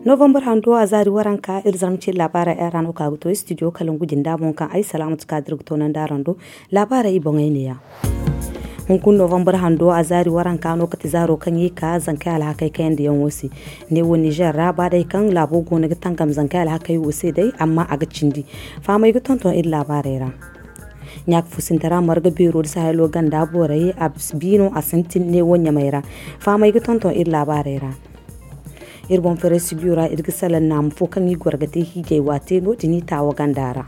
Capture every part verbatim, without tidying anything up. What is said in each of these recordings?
Novambar hando a zaari waranka iri zarma ce laabaarey ay ra no ka ga to studio kalangu jinda boŋ kaŋ ay salaamatu kaadir ga toonandi araŋ do. Laabaarey i boŋey neeya. Hunkuna novambar hando a zaari waranka no kate zaaro kaŋ i ka zankey alhakey kayandiyaŋo se. Neewo nizer ra ba day kaŋ laabo goono ga tangam zankey alhakey wo se day amma a ga cindi. Fahamey ga tonton iri laabaarey ra. Ɲaaka fusintara marga beero da sahelo ganda borey a biino a sintin neewo ɲamey ra. Fahamey ga tonton iri laabaarey ra. Iri boŋ fereesibiyo ra iri ga salaŋ naama fo kaŋ i goro ga te hiijay waate no- din i taawa ganda ra.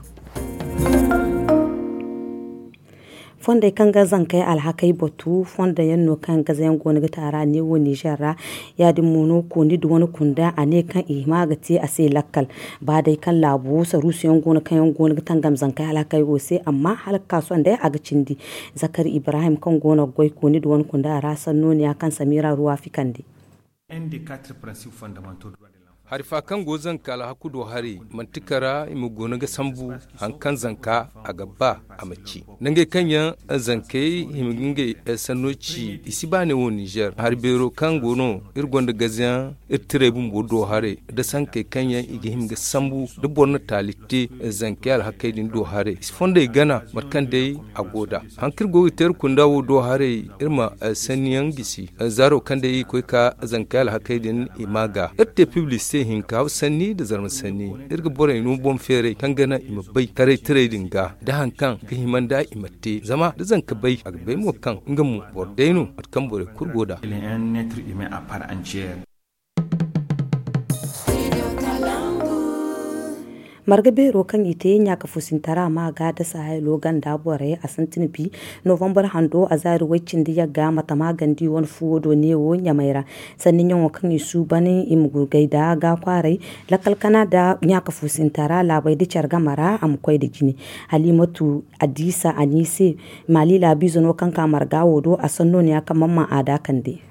Fondey kaŋ ga zankey alhakey batu fondo yaŋ no kaŋ gaza yaŋ go no ga te a ra neewo nizer ra. Ya- din mo no kooni da wane kunda a ne kaŋ i hima ga te a se lakkal. Ba day kaŋ laabo saruusu yaŋ go no kaŋ yaŋ go no ga tangam zankey alhakey wo se amma hala ga ka sohõ day a ga cindi. Zakari ibrahim kaŋ go no ga goy kooni da wane kunda a ra sanno ne ya kaŋ samira ruwa fikandi. Hari fa kaŋ go zanka alhaku do haray manti kara i ma guna ga sambu. Hari kaŋ zanka a ga ba a ma ci nangey kaŋ yaŋ zankey hima ga ngey sanno ci i si ba ne wo nizer hari beero kaŋ go no iri gonda gazayaŋ iri tiray bumbo do haray da sankey kaŋ yaŋ i ga hima ga sambu da boro na taali te. Zankey alhakey din do haray i si fondey gana mate kaŋ day a go nd'a. Hari kaŋ iri go ga te iri kunda wo do haray iri ma sanni yaŋ gisi zaaro kaŋ day i ga koy ka zankey alhakey din i ma ga iri te pibli se hinka sanni nda zarma sanni. Iri ga borey no boŋ feeray kaŋ ga naŋ i ma bay taray tiray din ga da hari kaŋ ga hima nd'a i ma te zama da zanka bay a ga bay mo kaŋ nga mo boro day no mate kaŋ borey kulu go nd'a. Marga beero kaŋ i te ɲaaka fusintara ma ga da sahaylo ganda borey a sintin bi. Novambar hando a zaari way cindi yagga matama gandi wane fuwo do neewo ɲamay ra. Sanni ɲaŋo kaŋ i suuban i ma gurgay da ga kwaaray lakkal kana da ɲaaka fusintara laabay da care game ra a ma koy nda jine. Halimatu adiisa a ne i se maali laabiize no kaŋ ka marga wo do a sanno ne ya kaŋ man ma a da kande.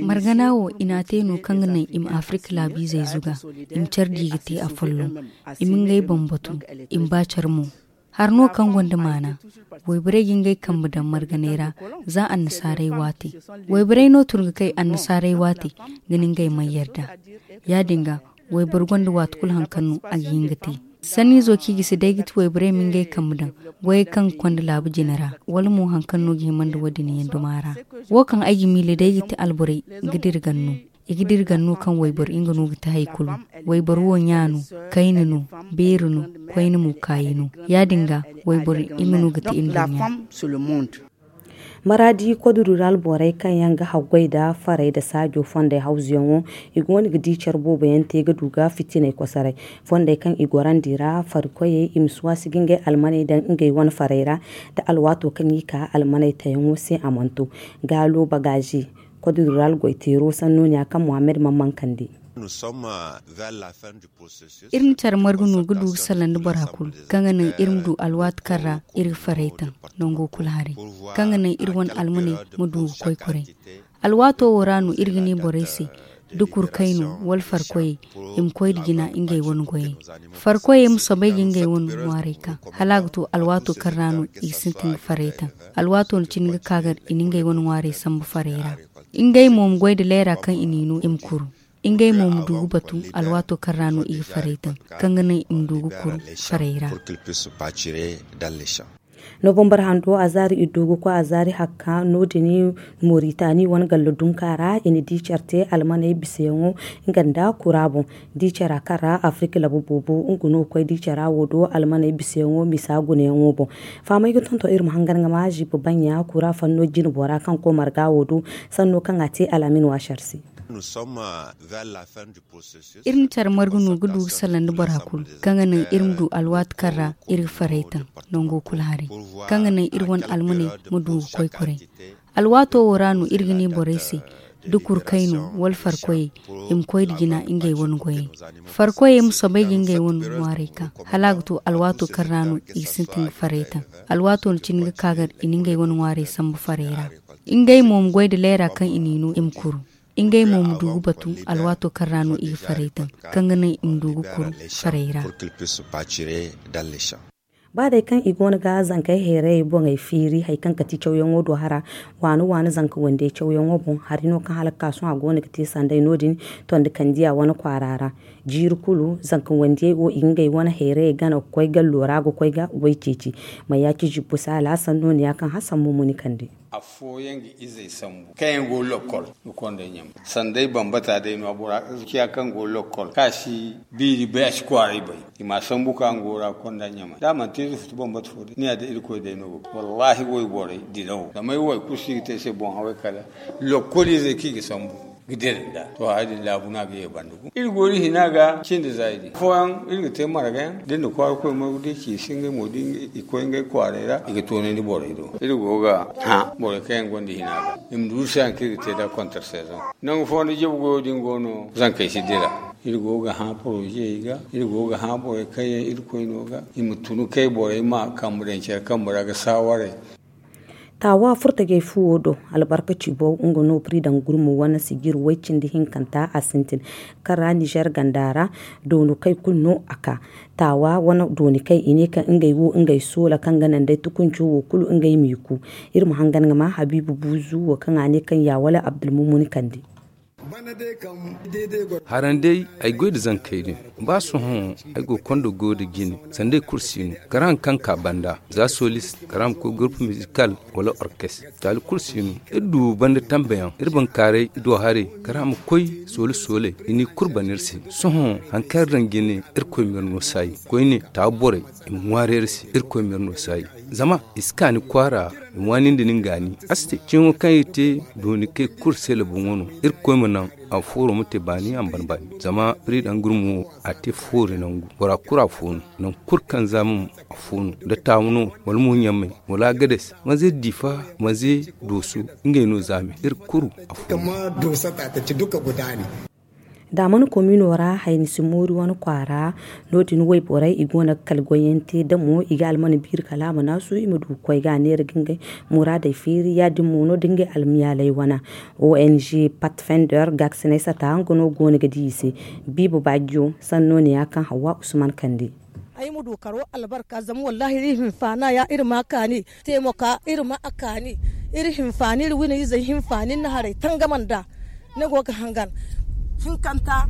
Margana wo i n'a te no kaŋ ga naŋ i ma afirka laabiizey zuga. I ma care di ga te afolloŋ. I ma ngey boŋ batu. I ma ba care mo. Hari no kaŋ gonda maana. Wayborey ga ngey kambe daŋ marganey ra za annasaarey waate. Wayborey no tun ga kay annasaarey waate ga ne ngey mana yarda. Ya- din ga wayboro gonda waati kulu hari kaŋ no a ga hin ga te. Sanniizo kaŋ i ga si day ga ti wayborey ma ngey kambe daŋ goyey kaŋ ga konda laabu jine ra wala mo hari kaŋ no ga hima nda wo- din yaŋ duma ra. Wo kaŋ ay ga miila day ga ti alborey ga dira ganno. I ga dira ganno kaŋ wayboro nga no ga ti hari kulu. Wayboro wo ɲa no, kayna no, beeri no, koyne mo kaayi no. Ya- din ga wayboro nga no ga ti iri nduɲɲa. Maraadi koduru ra alborey kaŋ yaŋ ga haggoy nda farey nda saajo fondey hawzuyaŋo. I go no ga di care boobo yaŋ te ga du ga fitiney kosoray. Fondey kaŋ i gorandi ra farikoyey i ma si waasi ga ngey almaney daŋ ngey wane farey ra. Nda alwaato kaŋ i ka almaney tayaŋo se a mana to. Gaalo bagaazi koduru ra algoyteero sanno ne ya kaŋ muhammad man mankandi. Iri na care margu no ga du ga salaŋ nda bora kulu kaŋ ga naŋ iri ma du alwaati kaŋ ra iri ga farey taŋ nango kulu haray kaŋ ga naŋ iri wane almaney ma du ga koy kuray. Alwaato wo ra no iri ga ne borey se da kurkay no wala farkoyey i ma koy nda jina ngey wane goyey. Farkoyey ma soobay ga ngey wane ŋwaarey ka hala a ga to alwaato kaŋ ra no i ga sintin ga farey taŋ. Alwaato na cine ga ka gar i na ngey wane ŋwaarey sambu farey ra. Ngey mo ma goy nda leera kaŋ i n'i no i ma kuru. Ngey mo ma du ga batu alwaato kaŋ ra no i ga farey taŋ kaŋ ga naŋ i ma du ga kuru farey ra. Novambar hando a zaari iddu ga koy a zaari hakka no- din moritani wane gallo dunka ra i na di care te almaney bisayaŋo nga nda kura boŋ. Di cara kaŋ ra afirika labu boobo nga no ga koy di cara wo do almaney bisayaŋo misa gunayaŋo boŋ. Fahamey ga tonton iri ma hangan ga ma ziiba baŋya kura fanno jine bora kaŋ koy marga wo do sanno kaŋ a te al'amin waasar se. Iri na care margu no ga du ga salaŋ nda bora kulu kaŋ ga naŋ iri ma du alwaati kaŋ ra iri ga farey taŋ nango kulu haray kaŋ ga naŋ iri wane almaney ma du ga koy kuray. Alwaato wo ra no iri ga ne borey se da kurkay no wala farkoyey i ma koy nda jina ngey wane goyey. Farkoyey ma soobay ga ngey wane ŋwaarey ka hala a ga to alwaato kaŋ ra no i ga sintin ga farey taŋ. Alwaato na cine ga ka gar i na ngey wane ŋwaarey sambu farey ra. Ngey mo ma goy nda leera kaŋ i n'i no i ma kuru. Ngey mo ma du ga batu alwaato kaŋ ra no i ga farey taŋ kaŋ ga naŋ i ma du ga kuru farey ra. Ba day kaŋ i goono ga zankey hayrayey boŋey feeri hari kaŋ ga ti cawyaŋo do hara, waani waani zanka wandiyey cawyaŋo boŋ hari no kaŋ hala ga ka sohõ a goono ga te sanday no- din. Tondi kandiya wane kwaara ra, jiiri kulu zanka wandiyey wo i ga ngey wane hayrayey gana ga koy gallo ra ga koy ga goy ceeci. Mayaaci zibbu saala sanno ne ya kaŋ hasan mo muni kande. Afooyaŋ ga izey sambu kaŋ yaŋ go lokol ga konda ɲamay. Sanday bambata day no a bora, ciya kaŋ go lokol kaŋ a si biiri bay a si kwaaray bay. I ma a sambu ka nga wora ga konda ɲamay da a mana te ize futu bambata fo day ni ya da irkoy day no ga. Wallaahi wayborey dirawo zama ay wo hari kulu si ga te ay se boŋ haway kala lokol izey kaŋ i ga sambu ga dira nda to hari din laabu no a ga ye banda. Iri go iri hina ga cindi zaydi fooyaŋ iri ga te margayaŋ da ni na kwaara koy margu da i ci i si ngey mo da i koy ngey kwaaray ra i ga toonandi borey do. Iri go ga hã borey kaŋ yaŋ gonda hina ga i ma duusa yaŋ kaŋ iri ga te nd'a kontar sezoŋ. Nangu fooyaŋ da jabu goyo din go no zankey si dira. Iri go ga hã porozey ga, iri go ga hã borey kaŋ yaŋ irkoy no ga i ma tun kay borey ma kambe daŋ care kambe ra ga saawaray. Taawa furtajey fuwo do, albarkaci bow nga no piri daŋ gurmo wane sijir way cindi hinkanta a sintin, kaŋ ra nizer ganda ra dooni kay kulu no a ka. Taawa wane dooni kay i ne kaŋ ngey wo ngey soola kaŋ ga naŋ day tukunco wo kulu ngey m'i ku. Iri ma hangan ga ma habiibu buuzu wo kaŋ a ne kaŋ ya wala abdulmumun kande. Haraŋ day ay goy nda zankey din, ba sohõ ay go konda goyo nda jine sanda ay kulu si no. Kala haŋ kaŋ ka banda za solis kala a ma koy gurpu mizikal wala orkes, taali kulu si no. Iri du banda tambeyaŋ iri bankaaray do haray kala a ma koy soole sooley i n'i kulu bana iri se. Sohõ haŋ kaŋ iri daŋ jine irkoy ma iri no saayi koyne taawa borey i ma ŋwaaray iri se irkoy ma iri no saayi. Zama i si kaani kwaara i ŋwaani nda nin gaani a si te ciŋo kaŋ i te dooni kay kulu se laboŋo no. Irkoy ma naŋ a fooro ma te baani a ma ban baani zama piri daŋ gurmo wo a te foori nangu bora kulu a fo no. Nangu kulu kaŋ za mo a fo no da taamu no wala mo ɲamay wala agades manze diifa manze dooso ngey no zaame iri kulu a fo no. Da mana komino ra hayni si moori wane kwaara. No- din wayborey i go no ga kala goyyaŋ te damo i ga almana biiri kala a ma naasu i ma du ga koy ga a neera ga ngey muraadey feeri ya- din mo no da ngey almiyaaley wana. Ong patfender gaakisiney sata nga no go no ga di i se. Biiba baajiyo sanno ne ya kaŋ hawwa usman kande. Ay ma du karo albarka zama wallahi iri hinfaana ya iri ma a kaani teemaka iri ma a kaani. Iri hinfaani iri wina izey hinfaani ni na haray tangama nd'a. Ni go ga hangan hinkanta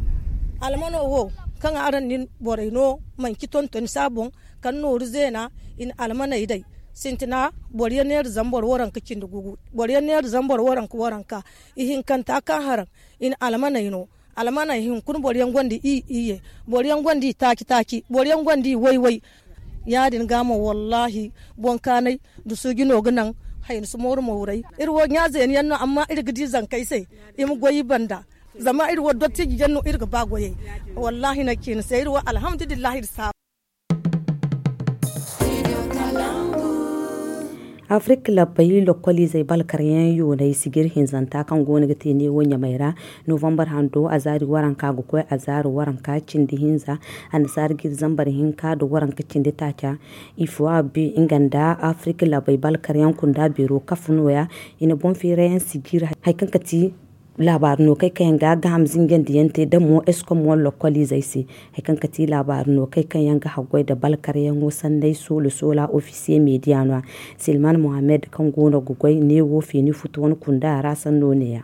almano wo kaŋ araŋ nin borey no manci tontoni se a boŋ kaŋ nooru zeena i na almaney day sintina boro yaŋ neera zambar waranka cindi gugu boro yaŋ neera zambar waranka waranka. Ihinkanta kaŋ haraŋ i na almaney no. Almaney hinkuna boro yaŋ gonda i iyye boro yaŋ gonda i taaci taaci boro yaŋ gonda i way way. Ya- din ga mo wallahi boŋ kaanay nda suuji no ga naŋ. Hayni si mooru mooray iri wo ɲa zeeni yaŋ no amma iri ga di zankey se i ma goy i banda. Zama iri wo dottiji yaŋ no iri ga ba goyey. Wallahi ni ga ci ni se iri wo alhamdulillahi iri saabu. Afrik labbay lokoliizey balkaryaŋ yoonay sijir hinzanta kaŋ go no ga te neewo ɲamay ra. Novambar hando azaari waranka ga koy azaari waranka cindi hinza annasaara ga iri zambar hinka nda waranka cindi taaca. Ifowa be nga nda afrik labbay balkaryaŋ kunda beero kafa nooya. I na boŋ feerayaŋ sijir hari kaŋ ga ti laabaari no kay kaŋ yaŋ ga gaham zinjandi yaŋ te da mo eskom wala lokoliizey se. Hari kaŋ ga ti laabaari no kay kaŋ yaŋ ga haggoy nda balkaryaŋo sanday soola soola ofisiye mediya no a. Silman mohammed kaŋ go no ga goy neewo feeni futu wane kunda ra sanno ne- ya.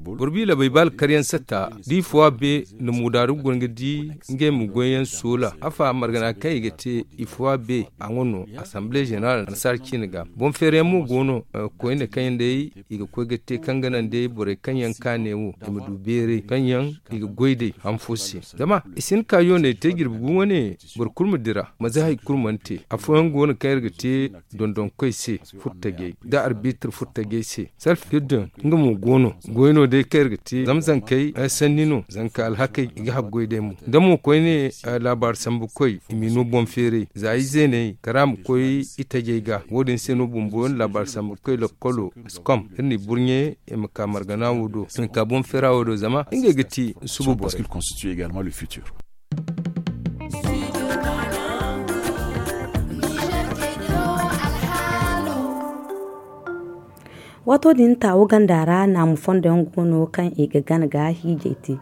Boro bi labay ba alkaryaŋ satta da i fo a be nda muudaaru go no ga di ngey ma goyyaŋ soola afa margana kaŋ i ga te. I fo a be a ŋwa no asamble zeneral annasaara ciine ga boŋ feerayaŋ mo go no. Koyne kaŋ yaŋ day i ga koy ga te kaŋ ga naŋ day borey kaŋ yaŋ kaane wo i ma du beeray kaŋ yaŋ i ga goy day han fo se. Zama i si hin ka yooney te jirbi gu wane boro kulu ma dira manze hari kulu mana te afooyaŋ go no kaŋ iri ga te dondonkoy se furtajey nda arbitir furtajey se. Salf hiddin nga mo go no goy no day kaŋ iri ga te zama zankey sanni no zanka alhakey i ga haggoy day mo da mo koyne laabaari sambukoy i m'i no boŋ feeray za izeeney kala a ma koy itajey ga wo- din se no bumbo iri laabaari sambukoy lokkolo skom iri n'i burɲe i ma ka margana wo do i ma ka boŋ feera wo do zama ngey ga ti suba borey. Waato din taawo ganda ra naamu fondo yaŋ go no kaŋ i ga gana ga hiijay te.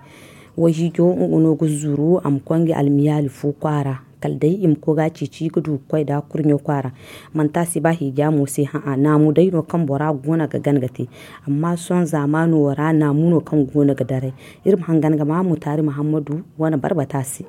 Wayhiijo nga no ga zuru a ma koy nga almiyaali fu kwaara. Kala day i ma koy ga a ceeci ga du ga koy nd'a kurɲo kwaara. Manti a si ba hiija mo se hã'a naamu day no kaŋ bora go no ga gana ga te. Amma sohõ zaamaano ra naamu no kaŋ go no ga daray. Iri ma hangan ga ma mutaari muhammadu wane barbata se.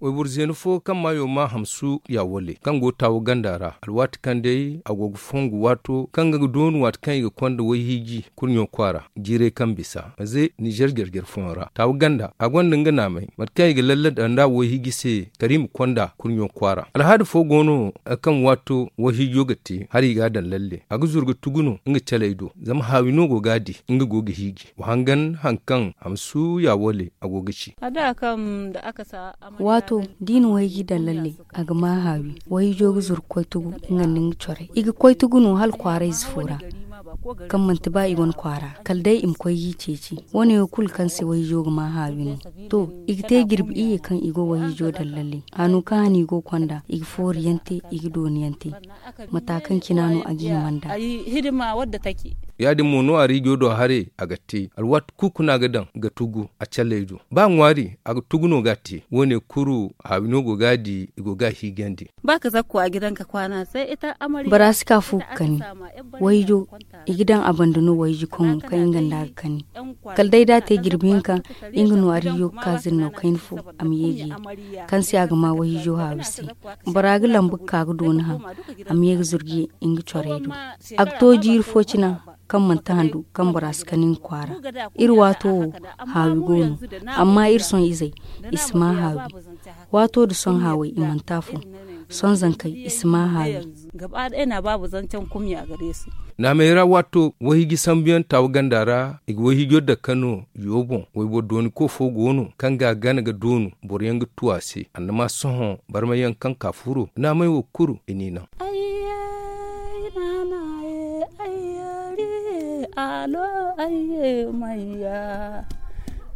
Wayboro zeena fo kaŋ maayo maa hamsu ya wale kaŋ go taawu ganda ra alwaati kaŋ day a go ga fongu waato kaŋ ga doonu waati kaŋ i ga konda wayhiiji kurɲo kwaara jiiray kaŋ bisa maze nizer jarjar fooyaŋ ra taawu ganda a gonda nga naamay mate kaŋ i ga lalle daŋ nd'a wayhiiji se kariima konda kurɲo kwaara alhaada fo go no kaŋ waato wayhiijo ga te hala i ga a daŋ lalle a ga zuru ga tugu no nga caley do zama haawi no go ga a di nga go ga hiiji wa hangan hari kaŋ hamsu ya wale a go ga ci. Waato da i na wayhiiji daŋ lalle a ga maa haawi wayhiijo ga zuru ga koy tugu nga nda nga corey i ga koy tugu no hala kwaara ize fo ra kaŋ manti ba i wane kwaara kala day i ma koy ga i ceeci. Wo- ne wo kulu kaŋ se wayhiijo ga maa haawi no. To, i ga te jirbi iyye kaŋ i go wayhiijo daŋ lalle hano kaŋ hane i go ga konda i ga foori yaŋ te i ga dooni yaŋ te. Mata kaŋ cina no a ga hima nd'a. Ya- din mo no a riijo do haray a ga te alwaati kulu kuna ga daŋ ga tugu a calley do ba ŋwaari a ga tugu no ga a te wo- ne kulu haawi no go ga a di i go ga a hiijandi. Ba ka zakku a ga daŋ ka kwaana se ita amari. Bora si ka fu ga kani wayjo i ga daŋ a banda no wayji koŋo kaŋ nga nda a ga kani. Kala day da a te jirbi hinka nga no a riijo ga ka zirnaw kayna fo a ma ye ga ye kaŋ se a ga ma wayhiijo haawi se. Bora ga lambu ga ka ga dooni haŋ a ma ye ga zuru ga ye nga corey do. A ga to jiiri fo cina kaŋ manti handu kaŋ bora si kani nga kwaara. Iri waato wo haawi go no. Amma iri sohõ izey i si ma haawi. Waato da sohõ haawey i manti afo. Sohõ zankey i si ma haawi. Naamey ra waato wayhiiji sambuyaŋ taawu ganda ra i ga wayhiijo dake no yo boŋ wayboro dooni ko fo go no kaŋ ga a gana ga doonu boroyaŋ ga tu a se annama sohõ barmayaŋ kaŋ ka furo naamey wo kulu i n'i naŋ. Ayye naana ye ayye ri alo ayye mayya.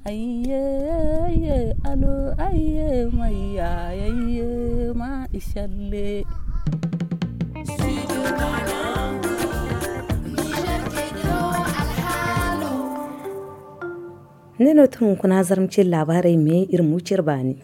Ayye ayye alo ayye mayya. Ayye ma isalle. Ne no tun kuna zarmacin labarai me iri mucir bani.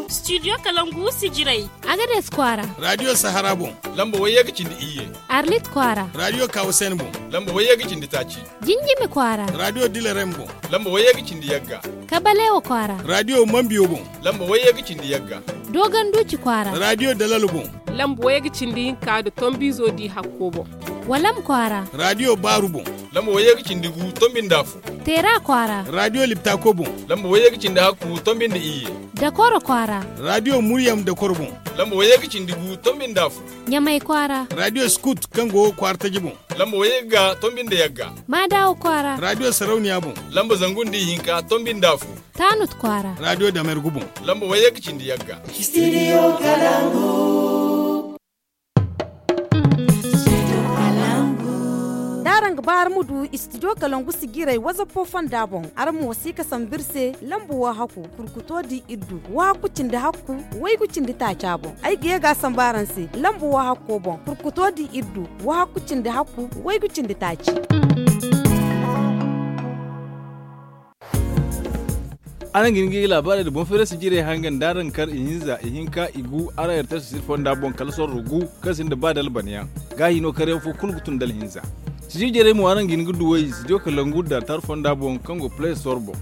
Studio kalangu sijirey. Agades kwara radio sahara bon. Lamba wayye ga cindi iyye. Arlit kwara radio kawusen bon. Lamba wayye ga cindi taci. Jinjimi kwara radio dilerem bon. Lamba wayye ga cindi yagga. Kabalewa kwara radio mambiyo bon. Lamba wayye ga cindi yagga. Dogon duci kwara radio dalalo bon. Lamba wayye ga cindi hinka da tombizo di hakko bon. Walam kwara radio baru bon. Lamba wayye ga cindi gu tombinda fu. Tera kwara radio liptako bon. Lamba wayye ga cindi hakku tombinda iyye. Dakoro kwara radio muryam dakoro bon. Lamba wayye ga cindi gu tombinda fu. Ɲamay kwara radio skut kaŋ go kwara taji bon. Lamba wayye ga tombinda yagga. Madawo kwara radio sarauniya bon. Lamba zangundi hinka tombinda fu. Tanut kwara radio damergu bon. Lamba wayye ga cindi yagga. Studio kalangu. D'araŋ ga ba araŋ ma du studio kalangu sijiray wazappo fonda boŋ araŋ ma wasi ga sambu iri se lambu wo hakku kurkuto di iddu wo hakku cindi hakku waygu cindi taaca boŋ. Ay ga ye ga a sambu araŋ se lambu wo hakko boŋ kurkuto di iddu wo hakku cindi hakku waygu cindi taaci. Araŋ ga hin ga i laabaarey nda boŋ feerasi jirey hangan da araŋ kar ihinza ihinka igu araŋ yartay sosiri fonda boŋ kala sorro gu kaŋ sinda ba dalbanayaŋ. Gaahi no karyaŋ fo kulu ga tun dala hinza. Sijiri jarey mo araŋ ga hin ga duw'ey studio kalangu da tar fonda boŋ kaŋ go play store boŋ.